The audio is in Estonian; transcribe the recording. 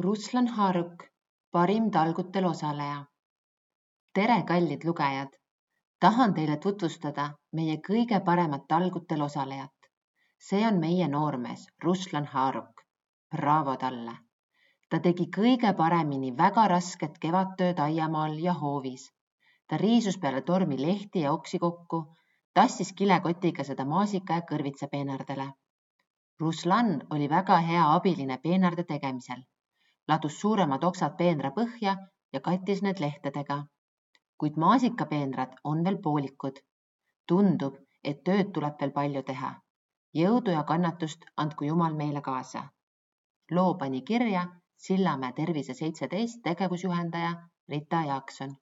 Ruslan Haaruk, parim talgutel osaleja. Tere, kallid lugejad! Tahan teile tutvustada meie kõige paremat talgutel osalejat. See on meie noormees Ruslan Haaruk. Bravo talle! Ta tegi kõige paremini väga rasket kevadtööd aiamaal ja hoovis. Ta riisus peale tormi lehti ja oksi kokku, tassis kilekotiga seda maasika ja kõrvitsa peenardele. Ruslan oli väga hea abiline peenarde tegemisel. Ladus suuremad oksad peenra põhja ja kattis need lehtedega. Kuid maasikapeenrad on veel poolikud. Tundub, et tööd tuleb veel palju teha. Jõudu ja kannatust andku Jumal meile kaasa. Loo pani kirja Sillamäe Tervise 17 tegevusjuhendaja Rita Jaakson.